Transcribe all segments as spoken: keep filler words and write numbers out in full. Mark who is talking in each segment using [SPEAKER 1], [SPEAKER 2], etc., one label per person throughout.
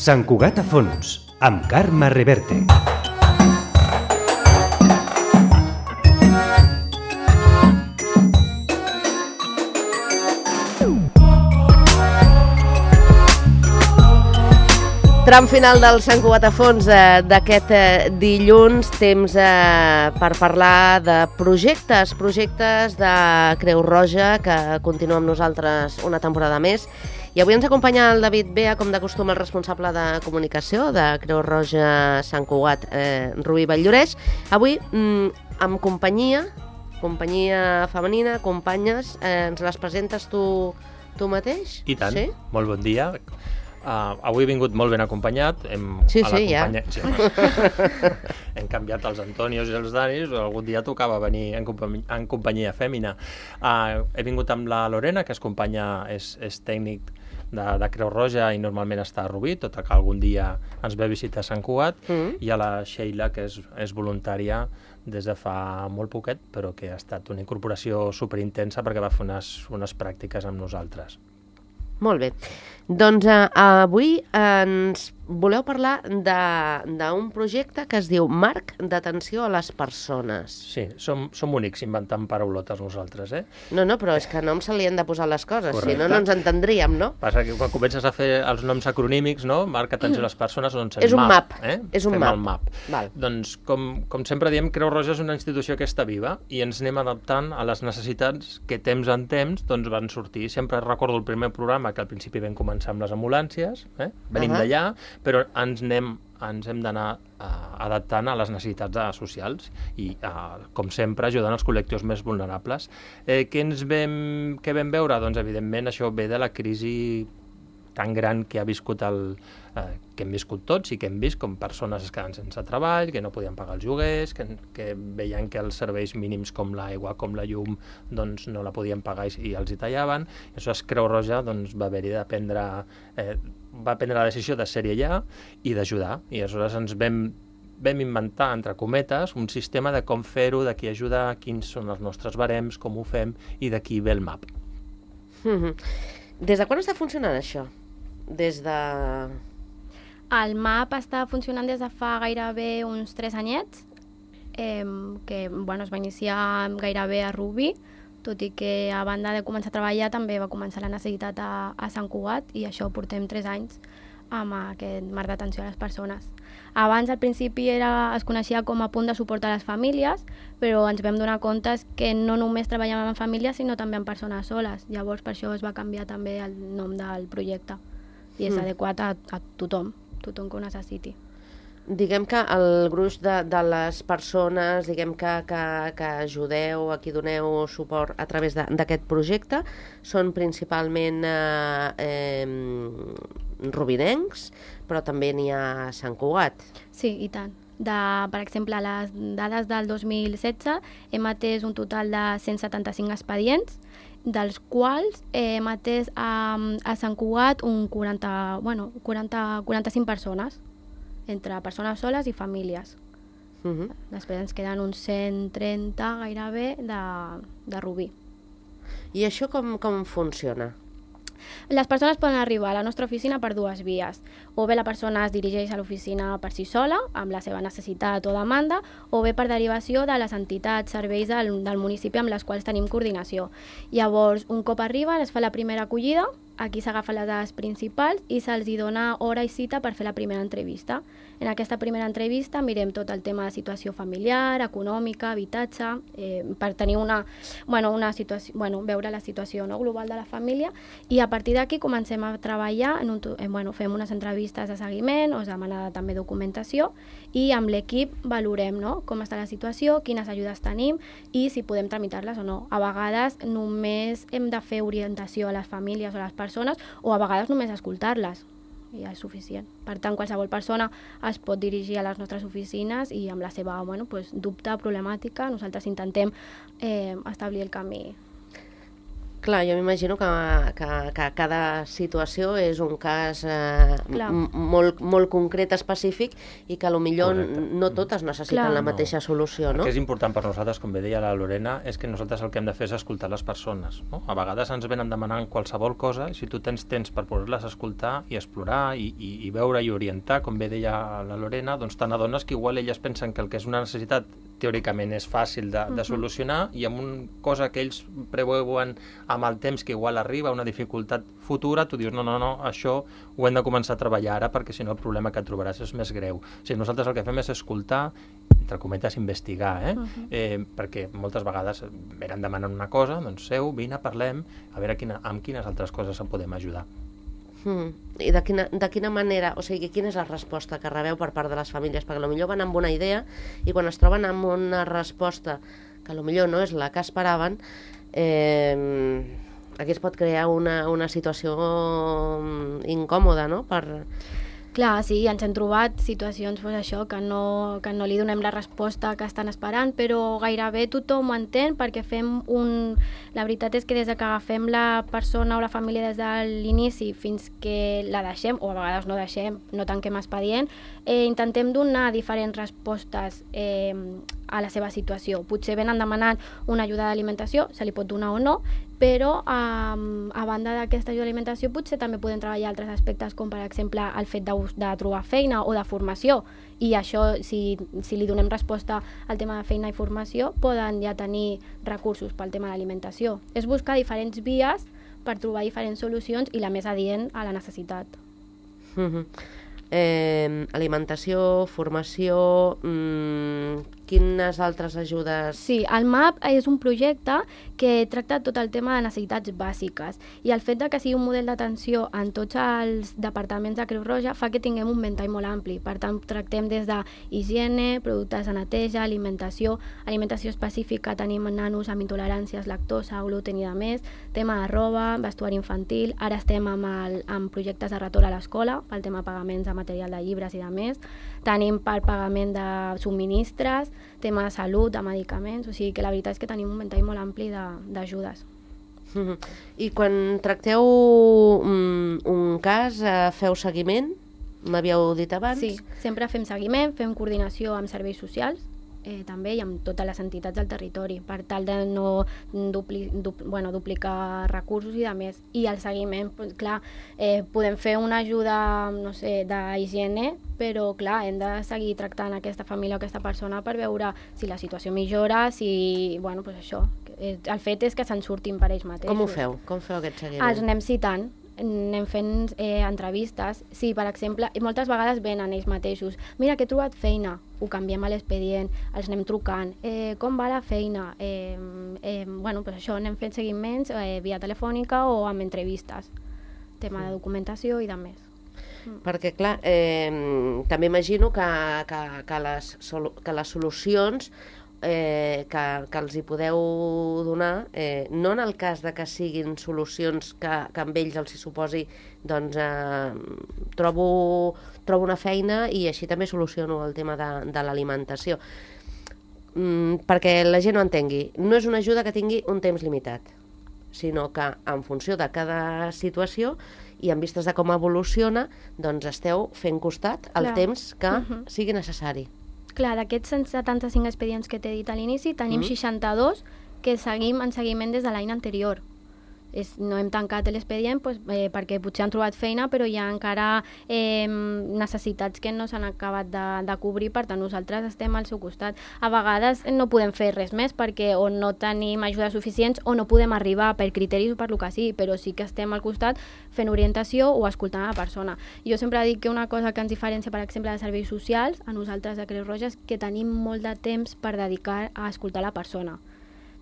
[SPEAKER 1] Sant Cugat a fons, amb Carme Reverte.
[SPEAKER 2] Tram final del Sant Cugat a fons eh, d'aquest eh, dilluns, temps eh, per parlar de projectes, projectes de Creu Roja, que continua amb nosaltres una temporada més. I avui ens acompanya el David Bea, com de costum, el responsable de comunicació de Creu Roja Sant Cugat, eh, Rubí Vall-lloreix. Avui, mm, amb companyia, companyia femenina, companyes, eh, ens les presentes tu, tu mateix?
[SPEAKER 3] I tant,
[SPEAKER 2] sí?
[SPEAKER 3] Molt bon dia. Uh, avui he vingut molt ben acompanyat. Hem,
[SPEAKER 2] sí,
[SPEAKER 3] a la
[SPEAKER 2] sí,
[SPEAKER 3] companya...
[SPEAKER 2] ja.
[SPEAKER 3] Sí, hem canviat els Antonios i els Danis, algun dia tocava venir en, companyia, en companyia fèmina. Uh, he vingut amb la Lorena, que és companya, és, és tècnic de, de Creu Roja i normalment està a Rubí, tot i que algun dia ens ve a visitar Sant Cugat, mm. i a la Sheila, que és, és voluntària des de fa molt poquet, però que ha estat una incorporació superintensa perquè va fer unes, unes pràctiques amb nosaltres.
[SPEAKER 2] Molt bé. Doncs uh, avui ens voleu parlar d'un projecte que es diu Marc d'atenció a les persones.
[SPEAKER 3] Sí, som, som únics inventant paraulotes nosaltres, eh?
[SPEAKER 2] No, no, però és que no se li han de posar les coses,
[SPEAKER 3] correcte.
[SPEAKER 2] Si no, no ens entendríem, no?
[SPEAKER 3] Passa que quan comences a fer els noms acronímics, no? Marc d'atenció a les persones, doncs
[SPEAKER 2] és un map.
[SPEAKER 3] map eh?
[SPEAKER 2] És un
[SPEAKER 3] Fem
[SPEAKER 2] map.
[SPEAKER 3] el map.
[SPEAKER 2] Val.
[SPEAKER 3] Doncs, com, com sempre diem, Creu Roja és una institució que està viva i ens anem adaptant a les necessitats que temps en temps doncs, van sortir. Sempre recordo el primer programa que al principi vam començar amb les ambulàncies, eh? Venim uh-huh. d'allà, però ens anem ens hem d'anar uh, adaptant a les necessitats uh, socials i, uh, com sempre, ajudant els col·lectius més vulnerables. Eh, què ens vam, què vam veure? Doncs, evidentment, això ve de la crisi tan gran que ha viscut el, eh, que hem viscut tots i que hem vist com persones es queden sense treball, que no podien pagar els lloguers, que, que veien que els serveis mínims com l'aigua, com la llum, doncs no la podien pagar i, i els hi tallaven. I això es Creu Roja doncs, va haver-hi de prendre, eh, va prendre la decisió de ser-hi allà i d'ajudar. I aleshores ens vam vam inventar, entre cometes, un sistema de com fer-ho, de qui ajuda, quins són els nostres barems, com ho fem i d'aquí ve el map.
[SPEAKER 2] Mm-hmm. Des de quan està funcionant això? Des de...
[SPEAKER 4] El map està funcionant des de fa gairebé uns tres anyets, eh, que bueno, es va iniciar gairebé a Rubí, tot i que a banda de començar a treballar també va començar la necessitat a, a Sant Cugat i això portem tres anys amb aquest marc d'atenció a les persones. Abans, al principi, era, es coneixia com a punt de suport a les famílies, però ens vam donar compte que no només treballàvem amb famílies, sinó també amb persones soles. Llavors, per això es va canviar també el nom del projecte i és mm. adequat a, a tothom, tothom que ho necessiti.
[SPEAKER 2] Diguem que el gruix de, de les persones diguem que, que, que ajudeu, a qui doneu suport a través d'aquest projecte, són principalment eh, eh, rubinencs, però també n'hi ha a Sant Cugat.
[SPEAKER 4] Sí, i tant. De, per exemple, les dades del dos mil setze hem atès un total de cent setanta-cinc expedients, dels quals eh, hem atès a, a Sant Cugat un quaranta, bueno, quaranta, quaranta-cinc persones, entre persones soles i famílies. Uh-huh. Després ens queden uns cent trenta gairebé de, de Rubí.
[SPEAKER 2] I això com, com funciona?
[SPEAKER 4] Les persones poden arribar a la nostra oficina per dues vies. O bé la persona es dirigeix a l'oficina per si sola, amb la seva necessitat o demanda, o bé per derivació de les entitats, serveis del, del municipi amb les quals tenim coordinació. Llavors, un cop arriben, es fa la primera acollida, aquí s'agafen les dades principals i se'ls dona hora i cita per fer la primera entrevista. En aquesta primera entrevista mirem tot el tema de situació familiar, econòmica, habitatge, eh, per tenir una, bueno, una situació, bueno, veure la situació, no, global de la família, i a partir d'aquí comencem a treballar, en un, eh, bueno, fem unes entrevistes de seguiment, us demana també documentació, i amb l'equip valorem, no, com està la situació, quines ajudes tenim i si podem tramitar-les o no. A vegades només hem de fer orientació a les famílies o a les persones, o a vegades només escoltar-les. I ja és suficient. Per tant, qualsevol persona es pot dirigir a les nostres oficines i amb la seva bueno, pues, dubte, problemàtica, nosaltres intentem eh, establir el camí.
[SPEAKER 2] Clar, jo m'imagino que, que, que cada situació és un cas eh, molt, molt concret, específic, i que potser no totes necessiten Clar. la mateixa solució, no?
[SPEAKER 3] El que és important per nosaltres, com bé deia la Lorena, és que nosaltres el que hem de fer és escoltar les persones, no? A vegades ens venen demanant qualsevol cosa, i si tu tens temps per poder-les escoltar i explorar i, i, i veure i orientar, com bé deia la Lorena, doncs te n'adones que igual elles pensen que el que és una necessitat teòricament és fàcil de, de solucionar, i amb una cosa que ells preveuen amb el temps que igual arriba, una dificultat futura, tu dius, no, no, no, això ho hem de començar a treballar ara, perquè si no el problema que et trobaràs és més greu. O sigui, nosaltres el que fem és escoltar, entre cometes, investigar, eh? Uh -huh. eh perquè moltes vegades venen demanant una cosa, doncs seu, vine, parlem, a veure quina, amb quines altres coses en podem ajudar.
[SPEAKER 2] Hmm. I de quina, de quina manera, o sigui, quina és la resposta que rebeu per part de les famílies? Perquè potser van amb una idea i quan es troben amb una resposta que potser no és la que esperaven, eh, aquí es pot crear una, una situació incòmoda, no? Per...
[SPEAKER 4] Clar, sí, ens hem trobat situacions pues, això, que, no, que no li donem la resposta que estan esperant, però gairebé tothom ho entén perquè fem un... La veritat és que des que agafem la persona o la família des de l'inici fins que la deixem, o a vegades no deixem, no tanquem expedient, eh, intentem donar diferents respostes eh, a la seva situació. Potser venen demanant una ajuda d'alimentació, se li pot donar o no, però um, a banda d'aquesta ajuda d'alimentació potser també podem treballar altres aspectes com per exemple el fet de, de trobar feina o de formació, i això si, si li donem resposta al tema de feina i formació poden ja tenir recursos pel tema de l'alimentació. És buscar diferents vies per trobar diferents solucions i la més adient a la necessitat.
[SPEAKER 2] Mm-hmm. eh, alimentació, formació, mmm, quines altres ajudes?
[SPEAKER 4] Sí, el M A P és un projecte que tracta tot el tema de necessitats bàsiques, i el fet de que sigui un model d'atenció en tots els departaments de Creu Roja fa que tinguem un ventall molt ampli. Per tant, tractem des de higiene, productes de neteja, alimentació, alimentació específica, tenim nanos amb intoleràncies, lactosa, gluten i de més, tema de roba, vestuari infantil, ara estem amb, el, amb projectes de retorn a l'escola, pel tema de pagaments de material de llibres i de més, tenim per pagament de subministres, tema de salut, de medicaments, o sigui que la veritat és que tenim un ventall molt ampli d'ajudes.
[SPEAKER 2] Mm-hmm. I quan tracteu un, un cas, eh, feu seguiment? M'havíeu dit abans?
[SPEAKER 4] Sí, sempre fem seguiment, fem coordinació amb serveis socials, eh, també, i amb totes les entitats del territori, per tal de no dupli, du, bueno, duplicar recursos i de més. I el seguiment, pues, clar, eh, podem fer una ajuda, no sé, d'higiene, però clar, hem de seguir tractant aquesta família o aquesta persona per veure si la situació millora, si, bueno, pues això, el fet és que se'n surtin per ells mateixos.
[SPEAKER 2] Com ho feu? Com feu aquest seguiment?
[SPEAKER 4] Els anem citant, anem fent eh, entrevistes. Sí, per exemple, i moltes vegades venen ells mateixos. Mira, que he trobat feina, ho canviem a l'expedient, els anem trucant. Eh, com va la feina? Eh, eh, bueno, pues això, anem fent seguiments eh, via telefònica o amb entrevistes. Tema de documentació i de més.
[SPEAKER 2] Perquè, clar, eh, també imagino que, que, que, les, que les solucions eh, que, que els hi podeu donar, eh, no en el cas de que siguin solucions que, que amb ells els hi suposi, doncs eh, trobo, trobo una feina i així també soluciono el tema de, de l'alimentació. Mm, perquè la gent ho entengui, no és una ajuda que tingui un temps limitat, sinó que en funció de cada situació i en vistes de com evoluciona, doncs esteu fent costat el Clar. temps que uh-huh. sigui necessari.
[SPEAKER 4] Clar, d'aquests cent setanta-cinc expedients que t'he dit a l'inici, tenim uh-huh. seixanta-dos que seguim en seguiment des de l'any anterior. És, no hem tancat l'expedient pues, eh, perquè potser han trobat feina, però hi ha encara eh, necessitats que no s'han acabat de, de cobrir, per tant nosaltres estem al seu costat. A vegades no podem fer res més perquè o no tenim ajudes suficients o no podem arribar per criteris o per lo que sigui, però sí que estem al costat fent orientació o escoltant a la persona. Jo sempre dic que una cosa que ens diferencia, per exemple, de serveis socials, a nosaltres de Creu Roja, és que tenim molt de temps per dedicar a escoltar la persona.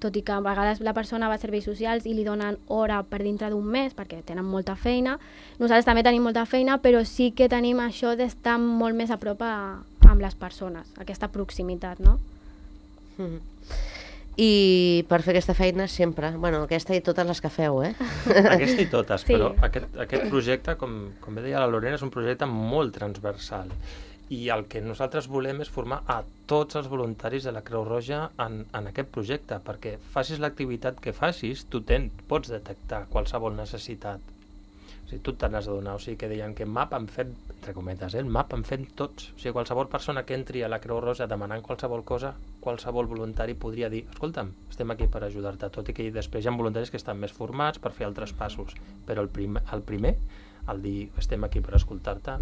[SPEAKER 4] Tot i que a vegades la persona va a serveis socials i li donen hora per dintre d'un mes perquè tenen molta feina. Nosaltres també tenim molta feina, però sí que tenim això d'estar molt més a prop a, amb les persones, aquesta proximitat, no?
[SPEAKER 2] Mm. I per fer aquesta feina sempre, bueno, aquesta i totes les que feu, eh?
[SPEAKER 3] Aquesta i totes, sí. Però aquest, aquest projecte, com, com bé deia la Lorena, és un projecte molt transversal. I el que nosaltres volem és formar a tots els voluntaris de la Creu Roja en, en aquest projecte, perquè facis l'activitat que facis, tu ten, pots detectar qualsevol necessitat. O sigui, tu te n'has de donar. O sigui, que deien que el map en fem, entre cometes, eh? el map en fem tots. O sigui, qualsevol persona que entri a la Creu Roja demanant qualsevol cosa, qualsevol voluntari podria dir, escolta'm, estem aquí per ajudar-te, tot i que després hi ha voluntaris que estan més formats per fer altres passos, però el, prim, el primer, el dir estem aquí per escoltar-te,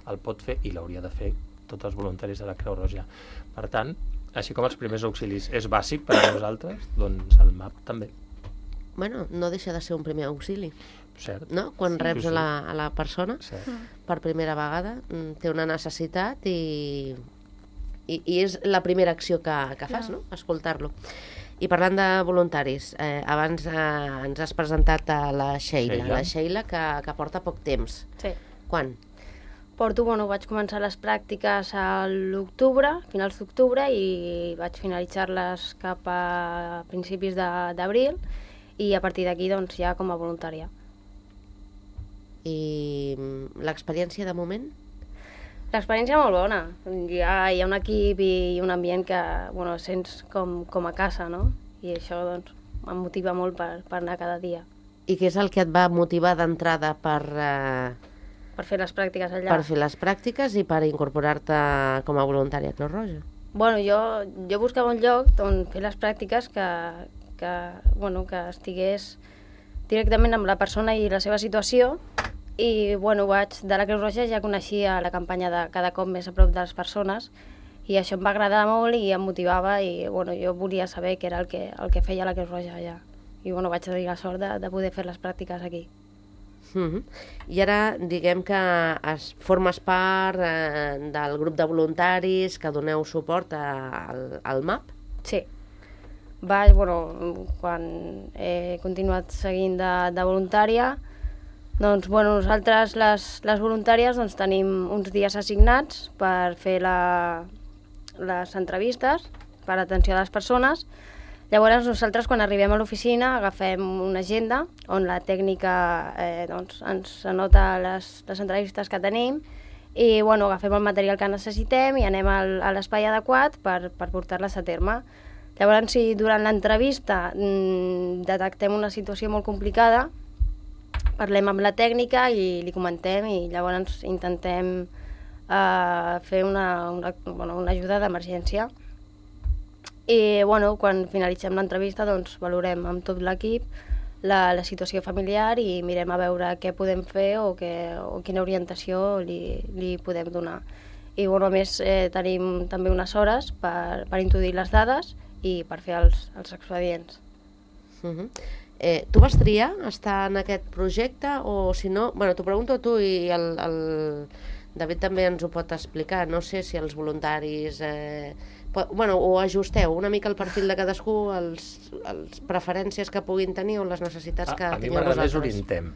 [SPEAKER 3] el pot fer i l'hauria de fer tots els voluntaris de la Creu Roja. Per tant, així com els primers auxilis és bàsic per a nosaltres, doncs el map també.
[SPEAKER 2] Bueno, no deixa de ser un primer auxili.
[SPEAKER 3] Cert.
[SPEAKER 2] No? Quan
[SPEAKER 3] Sí,
[SPEAKER 2] reps
[SPEAKER 3] sí.
[SPEAKER 2] a la, a la persona
[SPEAKER 3] Cert.
[SPEAKER 2] per primera vegada, mm, té una necessitat i, i, i és la primera acció que, que fas,
[SPEAKER 4] Clar.
[SPEAKER 2] no? Escoltar-lo. I parlant de voluntaris, eh, abans eh, ens has presentat a la Sheila,
[SPEAKER 3] Sheila.
[SPEAKER 2] la Sheila que, que porta poc temps.
[SPEAKER 5] Sí.
[SPEAKER 2] Quan?
[SPEAKER 5] Porto, bueno, vaig començar les pràctiques a l'octubre, finals d'octubre, i vaig finalitzar-les cap a principis de- d'abril, i a partir d'aquí, doncs, ja com a voluntària.
[SPEAKER 2] I mm, l'experiència de moment?
[SPEAKER 5] L'experiència molt bona. Hi ha, hi ha un equip i un ambient que, bueno, sents com, com a casa, no? I això, doncs, em motiva molt per, per anar cada dia.
[SPEAKER 2] I què és el que et va motivar d'entrada per, eh,
[SPEAKER 5] Per fer les pràctiques allà.
[SPEAKER 2] per fer les pràctiques i per incorporar-te com a voluntària a Creu Roja?
[SPEAKER 5] Bueno, jo, jo buscava un lloc on fer les pràctiques que, que, bueno, que estigués directament amb la persona i la seva situació, i bueno, vaig, de la Creu Roja ja coneixia la campanya de cada cop més a prop de les persones, i això em va agradar molt i em motivava, i bueno, jo volia saber què era el que, el que feia la Creu Roja allà. I bueno, vaig tenir la sort de, de poder fer les pràctiques aquí.
[SPEAKER 2] Mhm. I ara diguem que es, formes part eh, del grup de voluntaris que doneu suport a, al, al map.
[SPEAKER 5] Sí. Vaig, bueno, quan he continuat seguint de, de voluntària, doncs, bueno, nosaltres, les, les voluntàries, doncs, tenim uns dies assignats per fer la, les entrevistes, per atenció a les persones. Llavors, nosaltres, quan arribem a l'oficina, agafem una agenda on la tècnica eh, doncs, ens anota les, les entrevistes que tenim, i bueno, agafem el material que necessitem i anem al, a l'espai adequat per, per portar-les a terme. Llavors, si durant l'entrevista mmm, detectem una situació molt complicada, parlem amb la tècnica i li comentem, i llavors intentem eh, fer una, una, bueno, una ajuda d'emergència. I bueno, quan finalitzem l'entrevista, doncs, valorem amb tot l'equip la, la situació familiar i mirem a veure què podem fer o, que, o quina orientació li, li podem donar. I bueno, a més eh, tenim també unes hores per, per introduir les dades i per fer els, els expedients.
[SPEAKER 2] Mhm. Eh, tu vas triar estar en aquest projecte o si no... Bueno, t'ho pregunto a tu i el, el David també ens ho pot explicar. No sé si els voluntaris... Eh, po- bueno, o ajusteu una mica el perfil de cadascú, els, els preferències que puguin tenir o les necessitats que
[SPEAKER 3] A, a mi
[SPEAKER 2] tingueu
[SPEAKER 3] m'agrada més
[SPEAKER 2] vosaltres.
[SPEAKER 3] orientem.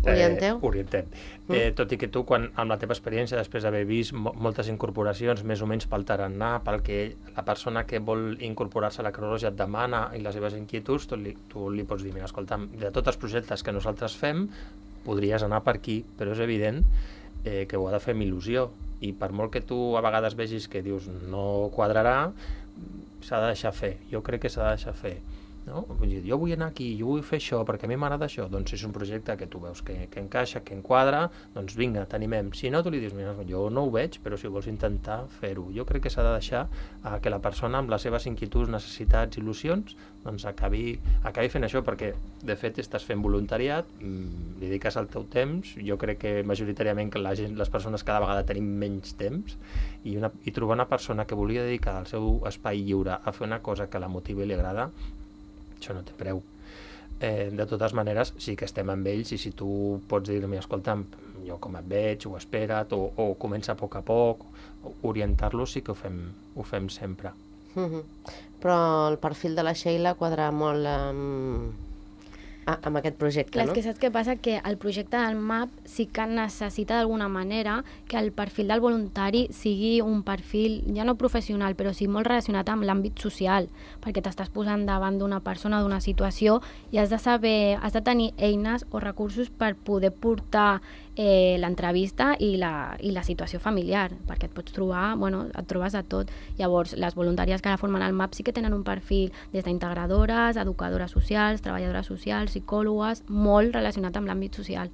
[SPEAKER 2] Orienteu?
[SPEAKER 3] Eh, orientem.
[SPEAKER 2] Mm.
[SPEAKER 3] Eh, tot i que tu, quan, amb la teva experiència, després d'haver vist mo moltes incorporacions, més o menys pel tarannà, pel que la persona que vol incorporar-se a la Creu Roja et demana i les seves inquietuds, tu li, tu li pots dir, mira, escolta'm, de tots els projectes que nosaltres fem, podries anar per aquí, però és evident eh, que ho ha de fer amb il·lusió, i per molt que tu a vegades vegis que dius no quadrarà, s'ha de deixar fer. Jo crec que s'ha de deixar fer. No? Vull dir, jo vull anar aquí, jo vull fer això, perquè a mi m'agrada això. Doncs si és un projecte que tu veus que, que encaixa, que enquadra, doncs vinga, t'animem. Si no, tu li dius, mira, jo no ho veig, però si vols intentar fer-ho. Jo crec que s'ha de deixar eh, que la persona amb les seves inquietuds, necessitats, il·lusions, doncs acabi, acabi fent això, perquè de fet estàs fent voluntariat, mmm, li dediques el teu temps, jo crec que majoritàriament que la gent, les persones cada vegada tenim menys temps, i, una, i trobar una persona que volia dedicar el seu espai lliure a fer una cosa que la motiva i li agrada, això no té preu. Eh, de totes maneres, sí que estem amb ells, i si tu pots dir-me, escolta'm, jo com et veig, ho espera't, o, o comença a poc a poc, orientar-los sí que ho fem, ho fem sempre.
[SPEAKER 2] Mhm. Però el perfil de la Sheila quadra molt amb, a, amb aquest projecte,
[SPEAKER 4] Clar,
[SPEAKER 2] no?
[SPEAKER 4] és que saps què passa? Que el projecte del M A P sí que necessita d'alguna manera que el perfil del voluntari sigui un perfil, ja no professional, però sí molt relacionat amb l'àmbit social, perquè t'estàs posant davant d'una persona, d'una situació, i has de saber, has de tenir eines o recursos per poder portar eh, l'entrevista i la, i la situació familiar, perquè et pots trobar, bueno, et trobes de tot. Llavors, les voluntàries que ara formen el M A P sí que tenen un perfil des d'integradores, educadores socials, treballadores socials, psicòlogues, molt relacionat amb l'àmbit social.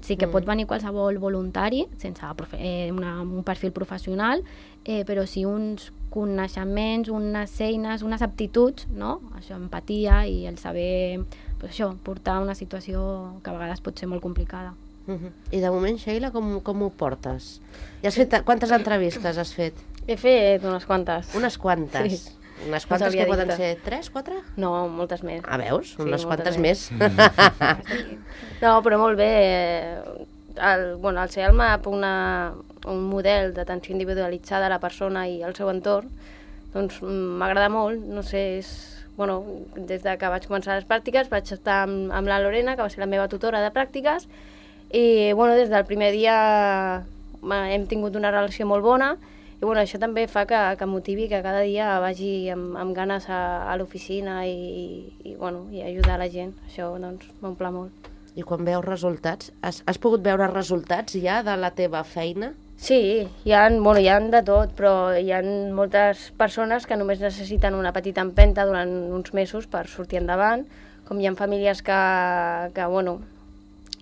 [SPEAKER 4] Sí que mm. pot venir qualsevol voluntari, sense eh, una, un perfil professional, eh, però sí uns coneixements, unes eines, unes aptituds, no? Això, empatia i el saber, pues això, portar una situació que a vegades pot ser molt complicada.
[SPEAKER 2] Uh-huh. I de moment, Sheila, com, com ho portes? Ja has fet, quantes entrevistes has fet?
[SPEAKER 5] He fet unes quantes.
[SPEAKER 2] Unes quantes?
[SPEAKER 5] Sí.
[SPEAKER 2] Unes quantes que poden ser tres, quatre?
[SPEAKER 5] No, moltes més.
[SPEAKER 2] Ah, veus?
[SPEAKER 5] Sí,
[SPEAKER 2] unes
[SPEAKER 5] moltes
[SPEAKER 2] quantes més.
[SPEAKER 5] més. No, però molt bé. El, bueno, al ser el M A P una, un model d'atenció individualitzada a la persona i al seu entorn, doncs m'agrada molt. No sé, és... Bueno, des de que vaig començar les pràctiques vaig estar amb, amb la Lorena, que va ser la meva tutora de pràctiques, i bueno, des del primer dia hem tingut una relació molt bona, i bueno, això també fa que, que motivi que cada dia vagi amb, amb ganes a, a l'oficina i, i, i, bueno, i ajudar la gent. Això doncs, m'omple molt.
[SPEAKER 2] I quan veus resultats, has, has pogut veure resultats ja de la teva feina?
[SPEAKER 5] Sí, hi ha, bueno, hi ha de tot, però hi ha moltes persones que només necessiten una petita empenta durant uns mesos per sortir endavant, com hi ha famílies que, que bueno,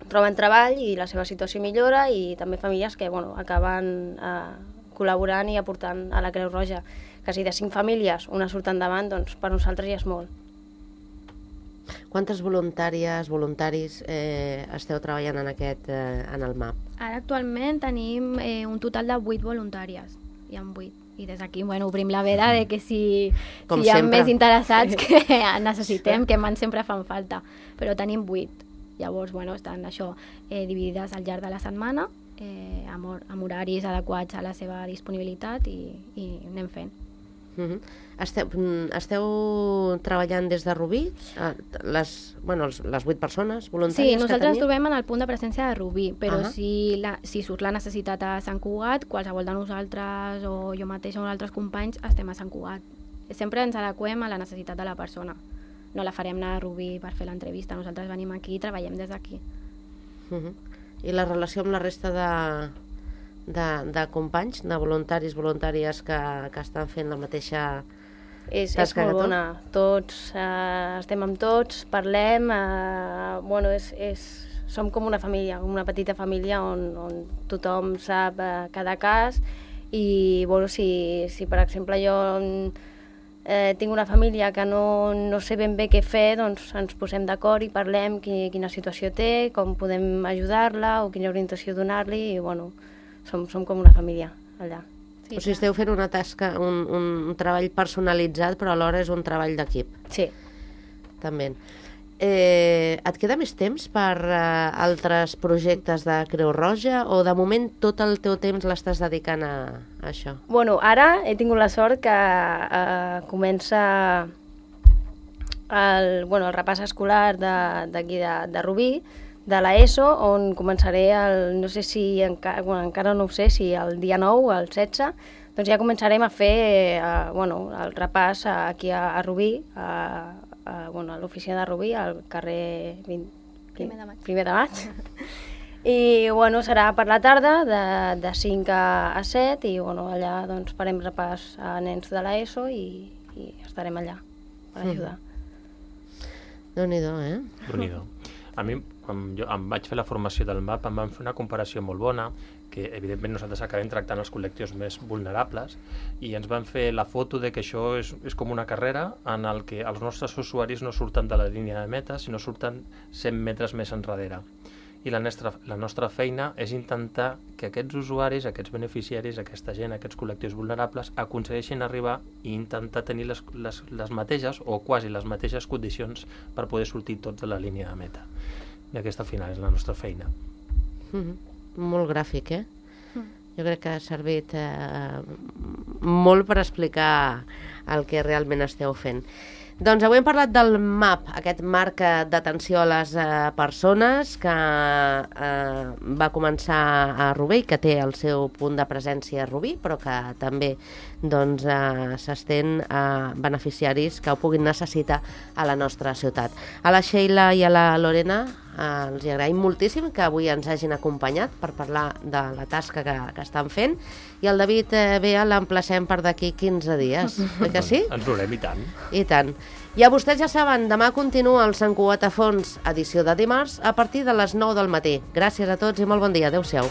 [SPEAKER 5] troben treball i la seva situació millora, i també famílies que bueno, acaben eh, col·laborant i aportant a la Creu Roja. Que si de cinc famílies una surt endavant, doncs per nosaltres ja és molt.
[SPEAKER 2] Quantes voluntàries, voluntaris eh, esteu treballant en aquest, eh, en el M A P?
[SPEAKER 4] Ara actualment tenim eh, un total de vuit voluntàries. Hi ha vuit. I des d'aquí, bueno, obrim la veda de que si, si hi ha
[SPEAKER 2] sempre.
[SPEAKER 4] més interessats que necessitem, que man sempre fan falta. Però tenim vuit. Llavors, bueno, estan això eh, dividides al llarg de la setmana, eh, amb, hor amb horaris adequats a la seva disponibilitat, i, i anem fent.
[SPEAKER 2] Uh-huh. Esteu, esteu treballant des de Rubí? Les, bueno, les vuit persones voluntàries
[SPEAKER 4] Sí, nosaltres
[SPEAKER 2] que teniu?
[SPEAKER 4] ens trobem en el punt de presència de Rubí, però
[SPEAKER 2] uh-huh.
[SPEAKER 4] si, la, si surt la necessitat a Sant Cugat, qualsevol de nosaltres o jo mateixa o altres companys estem a Sant Cugat. Sempre ens adequem a la necessitat de la persona. No la farem anar a Rubí per fer l'entrevista, nosaltres venim aquí i treballem des d'aquí.
[SPEAKER 2] Uh-huh. I la relació amb la resta de... De, de companys, de voluntaris, voluntàries que, que estan fent la mateixa
[SPEAKER 5] és, és
[SPEAKER 2] tasca
[SPEAKER 5] molt
[SPEAKER 2] que tu?
[SPEAKER 5] bona. Tots, eh, estem amb tots, parlem, eh, bueno, és, és, som com una família, una petita família on, on tothom sap eh, cada cas, i bueno, si, si per exemple jo eh, tinc una família que no, no sé ben bé què fer, doncs ens posem d'acord i parlem qui, quina situació té, com podem ajudar-la o quina orientació donar-li, i bueno, Som, som com una família allà.
[SPEAKER 2] Sí, o sigui, esteu fent una tasca, un, un, un treball personalitzat, però alhora és un treball d'equip.
[SPEAKER 5] Sí.
[SPEAKER 2] També. Eh, et queda més temps per uh, altres projectes de Creu Roja, o de moment tot el teu temps l'estàs dedicant a, a això?
[SPEAKER 5] Bueno, ara he tingut la sort que uh, comença el, bueno, el repàs escolar d'aquí de, de, de Rubí, de l'ESO, on començaré, el, no sé si, enca, bueno, encara no ho sé, si el dia nou, el setze, doncs ja començarem a fer eh, bueno, el repàs aquí a, a Rubí, a, a, bueno, a l'oficina de Rubí, al carrer vint,
[SPEAKER 4] Primer de maig.
[SPEAKER 5] Primer de maig. I bueno, serà per la tarda, de, de cinc a set, i bueno, allà doncs, farem repàs a nens de l'ESO i, i estarem allà per ajudar.
[SPEAKER 2] Mm. Déu-n'hi-do, eh?
[SPEAKER 3] Déu-n'hi-do. A mi, quan jo em vaig fer la formació del M A P, em van fer una comparació molt bona, que evidentment nosaltres acabem tractant els col·lectius més vulnerables, i ens van fer la foto de que això és, és com una carrera en el que els nostres usuaris no surten de la línia de meta, sinó surten cent metres més enrere. I la nostra, la nostra feina és intentar que aquests usuaris, aquests beneficiaris, aquesta gent, aquests col·lectius vulnerables, aconsegueixin arribar i intentar tenir les, les, les mateixes o quasi les mateixes condicions per poder sortir tots de la línia de meta. I aquesta al final és la nostra feina.
[SPEAKER 2] Mm-hmm. Molt gràfic, eh? Mm. Jo crec que ha servit eh, molt per explicar el que realment esteu fent. Doncs avui hem parlat del M A P, aquest marc d'atenció a les eh, persones que eh, va començar a Rubí, que té el seu punt de presència a Rubí, però que també doncs, eh, s'estén a beneficiaris que ho puguin necessitar a la nostra ciutat. A la Sheila i a la Lorena eh, els agraïm moltíssim que avui ens hagin acompanyat per parlar de la tasca que, que estan fent, i el David eh, Bea l'emplacem per d'aquí quinze dies, oi que sí?
[SPEAKER 3] Ens veurem, i tant.
[SPEAKER 2] I tant. I a vostès ja saben, demà continua el Sant Cugat a Fons, edició de dimarts, a partir de les nou del matí. Gràcies a tots i molt bon dia. Adéu-siau.